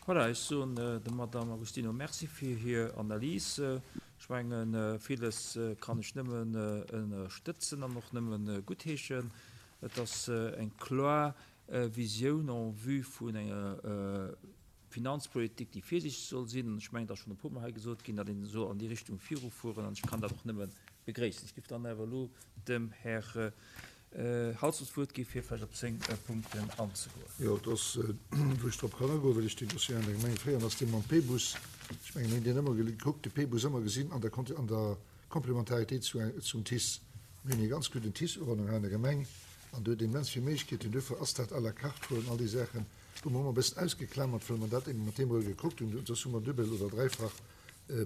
Voilà, ech soen der Madamm Agostino Merci fir hir Analys. Ech mengen, villes kann ech nëmmen ënnerstëtzen an och nëmme guttheeschen. Et ass eng kloer Visioun en vue vun enger Finanzpolitik, déi virsiichteg soll sinn. An ech mengen, et ass schonn e puermol hei gesot ginn, datt een soll an déi Richtung virufueren. An ech kann dat och nëmme begréissen. Ech géif dann awer elo dem Här Halsdorf d'Wuert gi fir vläicht op seng Punkten anzegoen. Jo, et ass, wou ech drop kann agoen, well ech deen Dossier an der Gemeng féieren, ass dee mam P-Bus. Ech mengen, mir hunn deen ëmmer gekuckt, de P-Bus ëmmer gesinn an der an der Komplementaritéit zu zum TICE. Mir hunn ee ganz gudden TICE-Uwannung hei an der Gemeng an do huet een immens vill Méiglechkeeten. Duerfir ass dat à la carte huelen, all déi Saachen hu mer ëmmer e bëssen ausgeklamert, well mer dat eben mat deem erëm gekuckt hunn. Soss hu mer duebel oder dräifach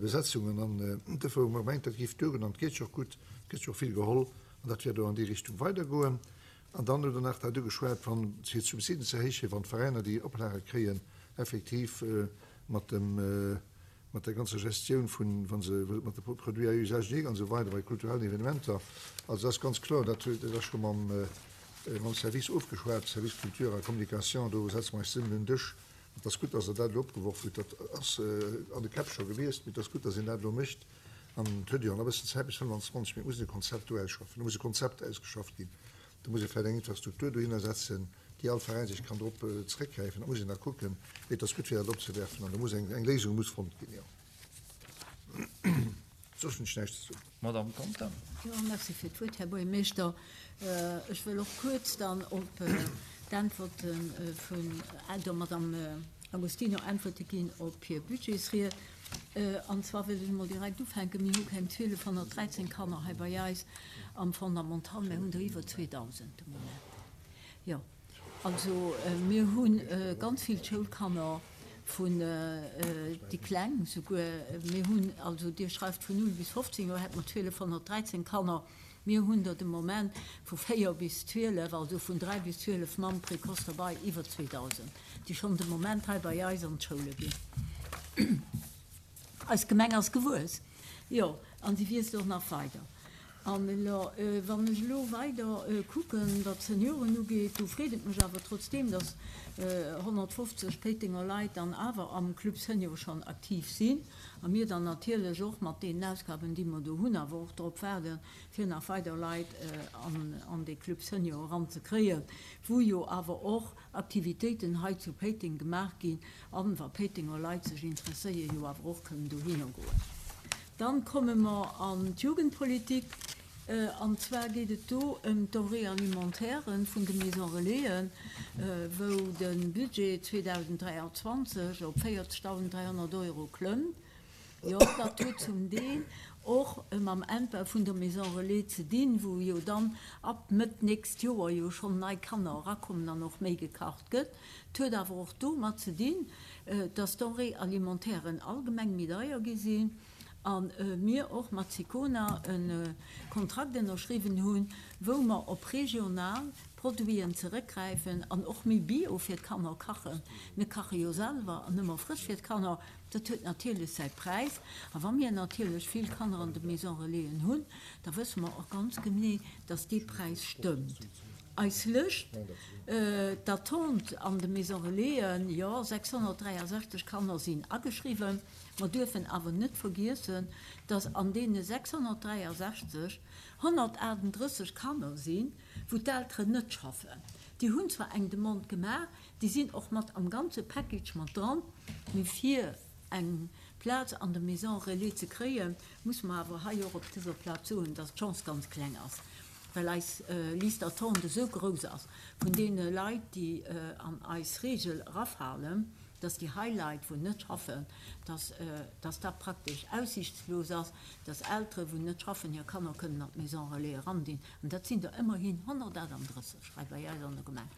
Besetzungen an duerfir hu mer gemengt, dat géif duergoen an et geet jo och gutt, et gëtt jo och vill geholl an dat wäert och an déi Richtung weidergoen. An dann hutt Der nach dat ugeschwat, wann fir d'Subsiden ze erhéichen, wann d'Veräiner déi Oplage kréien, effektiv mat dem, mat der ganzer Gestioun vun, wa se mat de Produits à usage unique an esou weider bei kulturellen Evenementer. Also dat ass ganz kloer, dat huet, dat ass scho mam, mam Service ofgeschwat, Service Culture a Communication, do setze mer eis zesummen un den Dësch. Et ass gutt, dass Der dat elo opgeworf hutt. Dat ass an de Käpp scho gewiescht, mee et ass gutt, dass een dat elo mécht. An et huet jo nach e bëssen Zäit bis 25, mee et muss een e Konzept do ausschaffen. Do muss e Konzept ausgeschafft ginn. Do muss ee vläicht eng Infrastruktur dohinner setzen, déi all Veräin sech kann drop zeréckgräifen. Dat muss een da kucken. Mee et ass gutt, fir dat opzewerfen. An do muss eng Léisung muss fonnt ginn, jo. Soss hunn ech näischt ze soen. Madamm Conter. Jo, merci fir d'Wuert, Här Buergermeeschter. Ech wëll och kuerz dann op d'Äntwerte vun der Madamm Agostino Äntwerte ginn op hir Budgetsried. An zwar wëll ech emol direkt ufänken, Mir hu keng 1213 Kanner hei bei eis am Fondamental, mä hunn der iwwer 2.000 de Moment. Jo. Also mir hu ganz vill Schoulkanner vun déi Kleng souguer. Mir hunn also, Dir schreift vun 0 bis 15 Joer hätte mer 1213 Kanner. Mir hunn der de Moment vu 4 bis 12, also vun 3 bis 12 mam Précoce derbei, iwwer 2.000, déi schonn de Moment hei bei eis an d'Schoule ginn. Eis Gemeng ass gewuess, jo, an si wiisst och nach weider. An elo, wann ech elo weider kucken, wat d'Senioren ugeet, do freet et mech awer trotzdeem, dass 150 Péitenger Leit dann awer am Club Senior schonn aktiv sinn a mir dann natierlech och mat deenen Ausgaben, déi mer do hunn, awer och drop waarden, fir nach weider Leit an dee Club Senior eranzekréien, wou jo awer och Aktivitéiten hei zu Péiteng gemaach ginn an, wa Péitenger Leit sech interesséieren, jo awer och kënnen dohinner goen. Dann komme mer an d'Jugendpolitik, an zwar geet et do ëm d'Denrées alimentaires vun de Maisons Relaisen, wou de Budget 2023 op 40.300 Euro klëmmt. Jo, dat huet zum Deel och mam Endbau vun der Maison Relais ze dinn, wou jo dann ab Mëtt nächst Joer jo schonn nei Kanner erakommen an och méi gekacht gëtt. Et huet awer och domat ze dinn, dass d'Denrées alimentairen allgemeng méi deier gi sinn a mir och mat Sicona e Kontrakt ënnerschriwwen hunn, wou mer op regional Produiten zeréckgräifen an och méi bio fir d'Kanner kachen. Mir kache jo selwer an ëmmer frësch fir d'Kanner. Dat huet natierlech säi Präis. A wa mir natierlech vill Kanner an de Maison Relaisen hunn, da wësse mer och ganz genee, dass dee Präis stëmmt. Eis Lëscht d'attente an de Maison Relaisen, jo, 663 Kanner sinn ageschriwwen. Mer duerfen awer net vergiessen, dass an deene 663 138 Kanner sinn, wou d'Elteren net schaffen. Déi hunn zwar eng Demande gemaach, Déi sinn och mat am ganze Package mat dran. Mee fir eng Plaz an der Maison Relais ze kréien, muss mer awer hei och op dëser Plaz soen, dass d'Chance ganz kleng ass, well eis Liste d'attente esou grouss ass vun deene Leit, déi an eis Regel erafalen, dass déi hei Leit, wou net schaffen, dass dass dat praktesch aussichtslos ass, dass Eltere wou net schaffen hir Kanner kënnen an d'Maison Relais erandinn. An dat sinn der ëmmerhin 138 hei bei eis an der Gemeng.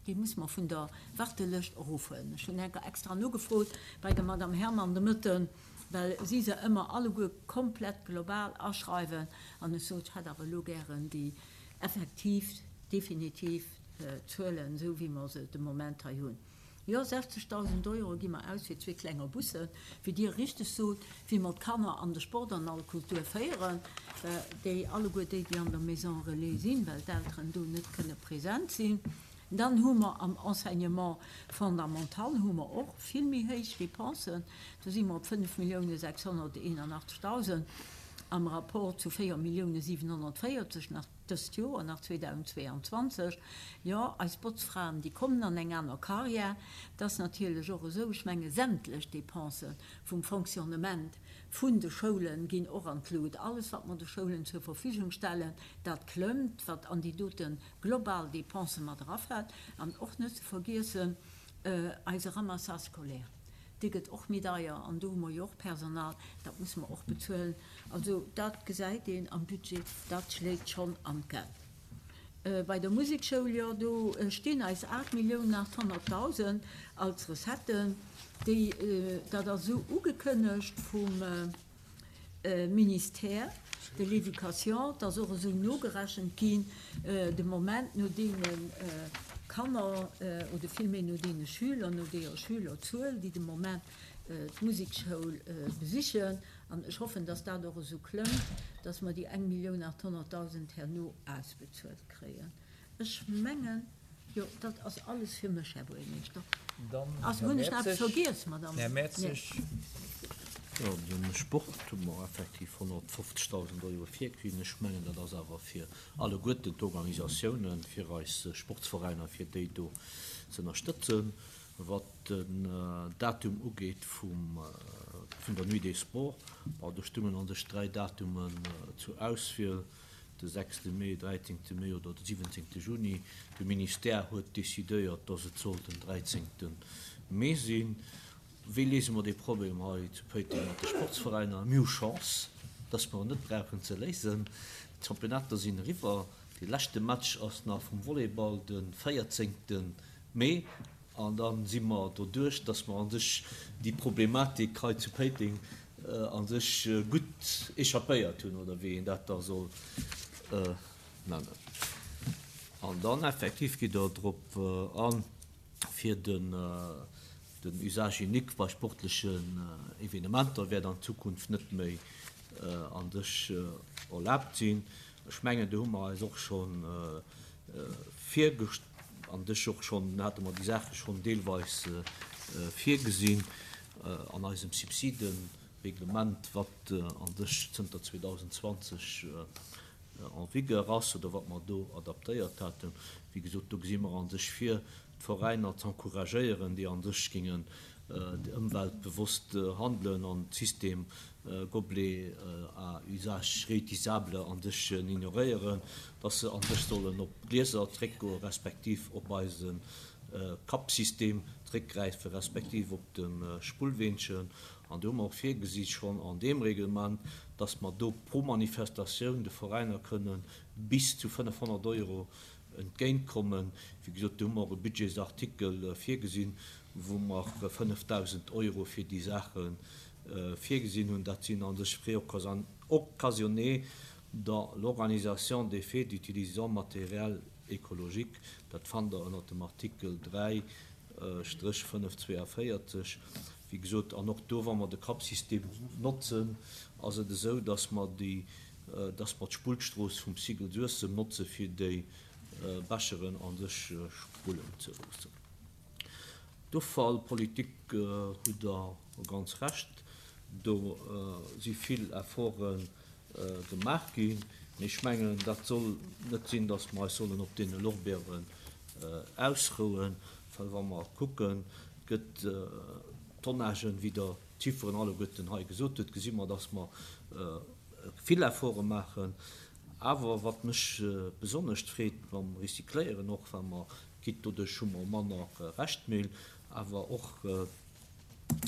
Déi muss mer vun der Wartelëscht erofhuelen. Ech hunn enker extra nogefrot bei der Madame Herman de Mëtten, well si se ëmmer alleguer komplett global aschreiwen, an ech sot, ech hätt awer elo gären déi effektiv, definitiv Zuelen, esou wéi mer se de Moment hei hunn. Jo, 60.000 Euro gi mer aus fir zwee klenger Bussen, wéi Dir richteg sot, wéi mer d'Kanner an de Sport an all Kultur féieren, déi alleguer déi, déi an der Maison Relais sinn, well d'Elteren do net kënne present sinn. Dann hu mer am Enseignement fondamental hu mer och vill méi héich Dépensen. Do si mer op 5.681.000 am Rapport zu 4.740.000 nach dëst Joer, nach 2022. Jo, eis Botzfraen, déi kommen an eng aner Carrière. Et ass natierlech och esou, ech menge sämtlech Dépensë vum Fonctionnement vun de Schoule ginn och an d'Lut. Alles, wat mer de Schoulen zur Verfügung stellen, dat klëmmt, wat an déi dote global Dépensë mat erafält. An och net ze vergiessen, eise Ramassage scolaire, dee gëtt och méi deier an do hu mer jo och Personal, dat musse mer och bezuelen. Also dat gesäit een am Budget, dat schléit schonn an d'Geld. Bei der Musekschoul, jo, do stinn eis 8.800.000 als Recetten, déi, dat ass esou ugekënnegt vum Ministère de l'Éducation, et ass och esou nogerechent ginn, de Moment no deene Kanner oder villméi no deene Schüler, no deeër Schülerzuel, déi de Moment d'Musekschoul besichen. An ech hoffen, dass dat och esou klëmmt, dass mer déi 1.800.000 herno ausbezuelt kréien. Ech mengen, jo, dat ass alles fir mech, Här Buergermeeschter. Dann Ass, Här hunn ech nach eppes Mertzig. vergiess, Madame? Här Mertzig. Jo, de Sport hu mer effektiv 150.000 Euro virkritt. Ech mengen, dat ass awer fir alleguerten d'Organisatiounen, fir eis Sportsveräiner, fir déi do ze ënnerstëtzen. Wat den Datum ugeet vum, vun der Nuit des Sports, bon, do stungen an sech 3 Datumen zur Auswiel, de sechste Mee, dräizéngte Mee oder de siwwenzéngte Juni. De Ministère huet decidéiert, dass et soll den dräizéngte Mee sinn. Wéi léise mer dee Problem hei zu Péiteng mat de Sportsveräiner? Mir hu Chance, dass mer en net brauchen ze léisen. D'Championnater sinn eriwwer. Dee leschte Match ass nach vum Volleyball de véierzéngte Mee. An da si mer doduerch, dass mer a sech déi Problematik hei zu Péiteng a sech gutt échappéiert hunn, oder wéi een dat da soll nennen. An dann effektiv gitt Der drop an, fir den Usage unique bei sportlechen Evenementer wäert an Zukunft net méi a sech erlaabt sinn. Ech mengen, do hu mer eis och scho virgest-, an dech och schonn, hate mer déi Saache schonn deelweis virgesinn an eisem Subsidenreglement, wat an sech zënter 2020 en vigueur ass oder wat mer do adaptéiert haten. Wéi gesot, do gesi mer an sech vir, d'Veräiner z'encouragéieren, déi an sech géingen ëmweltbewosst handelen an d'System Gobelet à usage réutilisable an sech ignoréieren, dass se an sech sollen op Glieser zréckgoen, respektiv op eise Cup-System zréckgräifen, respektiv op de Spullweenchen. An do hu mer och virgesi schonn an deem Reglement, dass mer do pro Manifestatioun de Veräiner kënnen bis zu 500 Euro entgéintkommen. Wéi gesot, do hu mer och e Budgetsartikel virgesinn, wou mer 5.000 Euro fir déi Saache virgesinn hunn. Dat sinn a sech Frais occasionnés dans l'organisation des fêtes utilisant matériel écologique. Dat fannt Der ënnert dem Artikel 3 Stréch 542. Wéi gesot, an och do, wa mer de Cup-System notzen, ass et esou, dass mer déi, dass mer d'Spullstrooss vum Cycle Suessem notze fir déi Becheren a sech spullen ze loossen. D'Offallpolitik, hutt Der ganz Recht, do si vill Efforte gemaach ginn. Mee ech mengen, dat soll net sinn, datt mer eis sollen op deene Lorbeeren ausrouen, well wa mer kucken, et gëtt Tonnagen, wéi Der d'Chifferen alleguerten hei gesot hutt, gesi mer, datt mer vill Efforte maachen. Awer wat mech besonnescht freet mam Recycléieren, och wa mer Gitt, doduerch hu mer manner Reschtmüll, awer och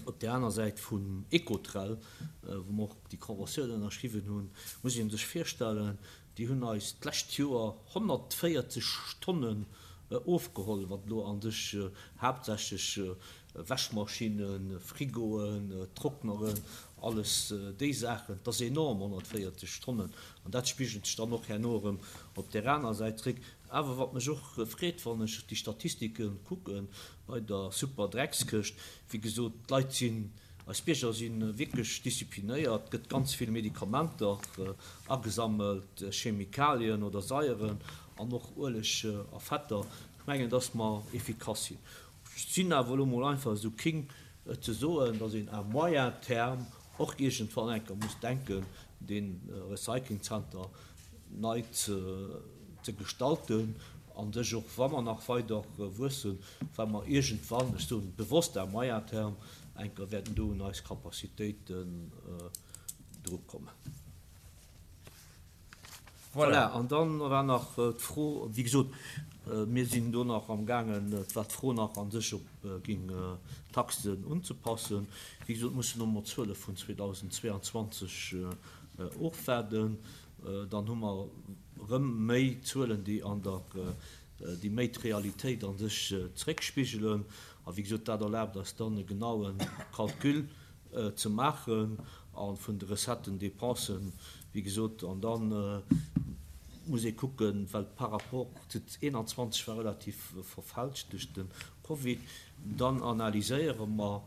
op där aner Säit vun Ecotrel, wou mer och déi Conventioun ënnerschriwwen hunn, muss ee sech virstellen, déi hunn eis d'lescht Joer 140 Tonnen ofgeholl, wat elo a sech haaptsächlech Wäschmaschinnen, Frigoen, Trockneren, alles déi Saachen, dat ass enorm, 140 Tonnen. An dat spigelt sech dann och herno erëm op där aner Säit zréck. Awer wat mech och freet, wann ech déi Statistike kucke bei der super Dreckskëscht, wéi gesot, d'Leit sinn, eis Bierger si wierklech disziplinéiert, et gëtt ganz vill Medikamenter agesammelt, Chemikalien oder Saieren an och Ueleg a Fetter. Ech mengen, dass mer efficace sinn. Ech sinn awer elo mol einfach esou king et ze soen, dass een à moyen terme och iergendwann eng Kéier muss denken, dee Recyclingzenter nei ze gestalten a sech och, wa mer nach weider wuessen, well mer iergendwann, ech soen bewosst à moyen terme, eng Kéier wäerten do un eis Capacitéiten drukommen. Voilà, an dann war nach d'Fro, wéi gesot, mir sinn do nach amgaangen, et war d'Fro nach a sech, ob géing d'Taxen unzepassen. Wéi gesot, mussen elo mol d'Zuele vun 2022 ofwaarden. Dann hu mer erëm méi Zuelen, déi an der, déi méi d'Realitéit a sech zréckspigelen. A wéi gesot, dat erlaabt eis dann e genaue Calcul ze maachen a vun de Recetten, Dépensen, wéi gesot, an da muss ee kucken, well par rapport zu 21 war relativ verfälscht duerch de Covid, dann analyséiere mer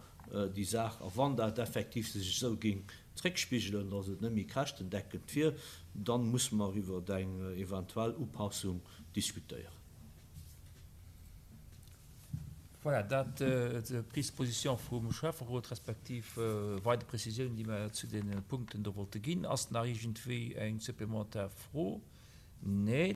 déi Saach a wann dat effektiv sech esou géing zréckspigelen, datt et net méi käschtendeckend wier, da musse mer iwwer eng eventuell Upassung diskutéieren. Voilà, dat d'Prise de position vum Schäfferot, respektiv weider Prezisiounen, déi mer zu deene Punkten do wollte ginn. Ass nach iergendwéi eng supplementar Fro? Nee.